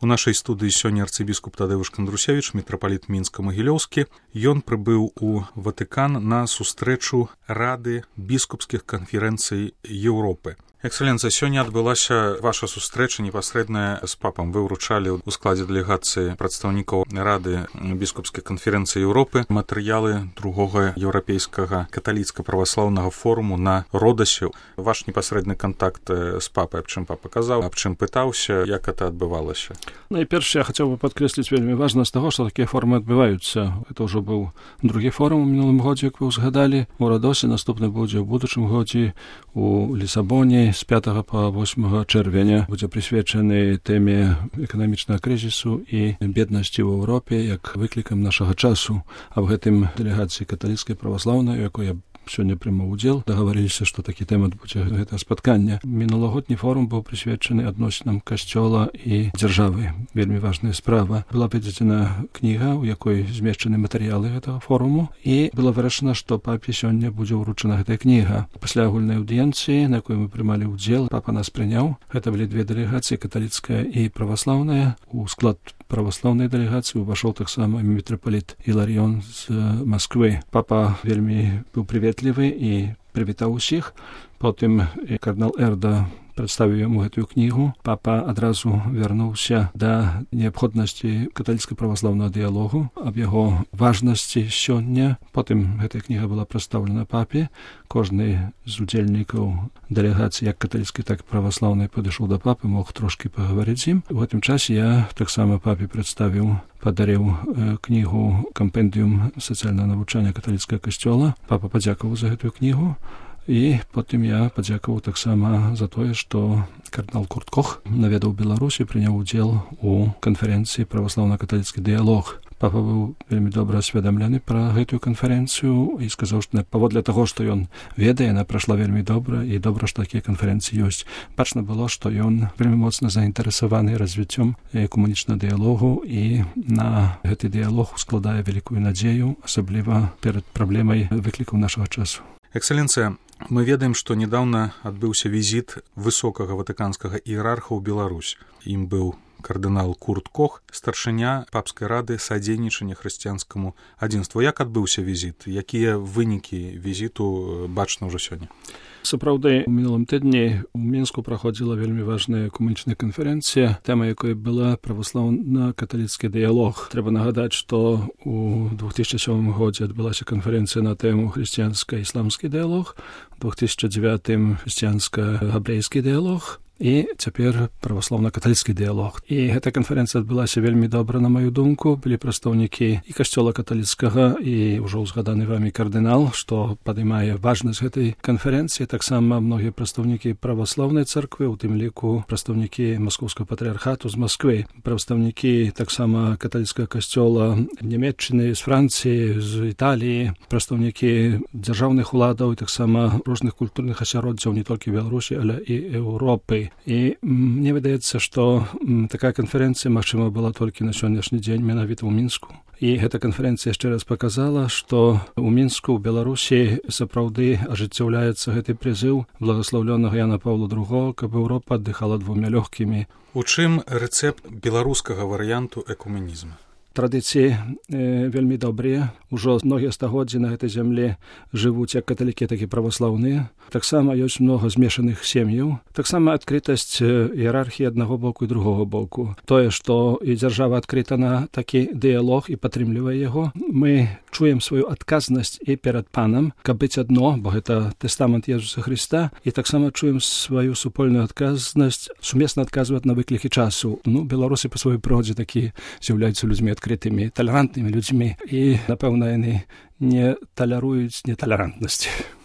У нашай студыі сёння арцыбіскуп Тадэвуш Кандрусевіч, мітрапаліт Мінска-Магілёўскі. Ён прыбыў у Ватыкан на сустрэчу Рады біскупскіх канферэнцый Еўропы. Экселенцыя, сёння адбылася ваша сустрэча непасрэдная з папам. Вы ўручалі ў складзе дэлегацыі прадстаўнікаў Рады біскупскіх канферэнцый Еўропы матэрыялы другога еўрапейскага каталіцка-праваслаўнага форуму на Родасе. Ваш непасрэдны кантакт з папай, аб чым папа казаў, аб чым пытаўся, як гэта адбывалася? Найперш я хацеў бы падкрэсліць вельмі важнасць таго, што такія форумы адбываюцца. Гэта ўжо быў другі форум у мінулым годзе, як вы ўзгадалі, у Родосе, наступны будзе ў будучым годзе у Лісабоне. З 5 по 8 чэрвеня будзе прысвечаны тэме эканамічнага крызісу і беднасці ў Еўропе як выклікам нашага часу. А в гэтым дэлегацыі каталіцкай праваслаўнай, у якой я сёння прымаў удзел, дагаварыліся, што такі тэмат будзе гэта спатканне. Мінулагодні форум быў прысвечаны адносінам касцёла і дзяржавы. Вельмі важная справа. Была выдадзена кніга, у якой змешчаны матэрыялы гэтага форуму, і было вырашана, што папе сёння будзе ўручана гэтая кніга. Пасля агульнай аўдыенцыі, на якой мы прымалі ўдзел, папа нас прыняў. Гэта былі две дэлегацыі, каталіцкая і праваслаўная. У склад праваслаўнай дэлегацыі увайшоў таксама мітрапаліт Іларыён з Масквы. Папа вельмі быў прыветлівы і прывітаў усіх. Потым кардынал Эрда прадставіў яму гэтую кнігу. Папа адразу вярнуўся да неабходнасці каталіцка-праваслаўнага дыялогу, аб яго важнасці сёння. Потым гэтая кніга была прадстаўлена папе. Кожны з удзельнікаў дэлегацыі, як каталіцкай, так і праваслаўнай, падышоў да папы, мог трошкі пагаварыць з ім. У гэтым часе я таксама папе падарыў кнігу «Кампендыум сацыяльнага навучання каталіцкага касцёла». Папа падзякаваў за гэтую кнігу. І потым я падзякаваў таксама за тое, што кардынал Курт Кох наведаў Беларусь і прыняў удзел у канферэнцыі «Праваслаўна-каталіцкі дыялог». Папа быў вельмі добра асведамлены пра гэтую канферэнцыю і сказаў, што паводле таго, што ён ведае, яна прайшла вельмі добра, і добра, што такія канферэнцыі ёсць. Бачна было, што ён вельмі моцна заінтарэсаваны развіццём экумэнічнага дыялогу, і на гэты дыялог ускладае вялікую надзею, асабліва перад праблемай выклікаў нашага часу. Экселенцыя, мы ведаем, што нядаўна адбыўся візіт высокага ватыканскага іерарха ў Беларусь. Ім быў кардынал Курт Кох, старшыня папскай рады садзейнічання хрысціянскаму адзінству. Як адбыўся візіт? Якія вынікі візіту бачна ўжо сёння? Сапраўды, у мінулым тыдні ў Мінску праходзіла вельмі важная экумэнічная канферэнцыя, тэма якой была праваслаўна-каталіцкі дыялог. Трэба нагадаць, што ў 2007 годзе адбылася канферэнцыя на тэму хрысціянска-ісламскі дыялог, у 2009 хрысціянска-габрэйскі дыялог, і цяпер праваслаўна-каталіцкі дыялог. І гэта канферэнцыя адбылася вельмі добра, на маю думку. Былі прадстаўнікі і касцёла каталіцкага, і ўжо ўзгаданы вамі кардынал, што падымае важнасць гэтай канферэнцыі. Таксама многія прадстаўнікі праваслаўнай царквы, у тым ліку прадстаўнікі маскоўскага патрыархату з Масквы, прадстаўнікі таксама каталіцкага касцёла Нямецчыны, з Францыі, з Італіі, прадстаўнікі дзяржаўных уладаў і таксама розных культурных асяроддзяў не толькі Беларусі, але і Еўропы. І мне выдаецца, што такая канферэнцыя, магчыма, была толькі на сённяшні дзень менавіта ў Мінску. І гэта канферэнцыя яшчэ раз паказала, што ў Мінску, ў Беларусі сапраўды ажыццяўляецца гэты прызыў благаслаўлёнага Яна Паўла II, каб Еўропа аддыхала двумя лёгкімі. У чым рэцэпт беларускага варыянту экуменізму? Традыцыі вельмі добрыя. Ужо многія стагоддзі на гэтай зямлі жывуць як каталікі, так і праваслаўныя. Таксама ёсць многа змешаных сем'яў. Таксама адкрытасць іерархіі аднаго боку і другога боку. Тое, што і дзяржава адкрыта на такі дыялог і падтрымлівае яго. Мы чуем сваю адказнасць і перад Панам, каб быць адно, бо гэта тэстамент Езуса Хрыста, і таксама чуем сваю супольную адказнасць сумесна адказваць на выклікі часу. Беларусы па сваёй прыродзе такі з'яўляюцца людзьмі адкрытымі, талерантнымі людзьмі, і, напэўна, яны не талеруюць неталерантнасць.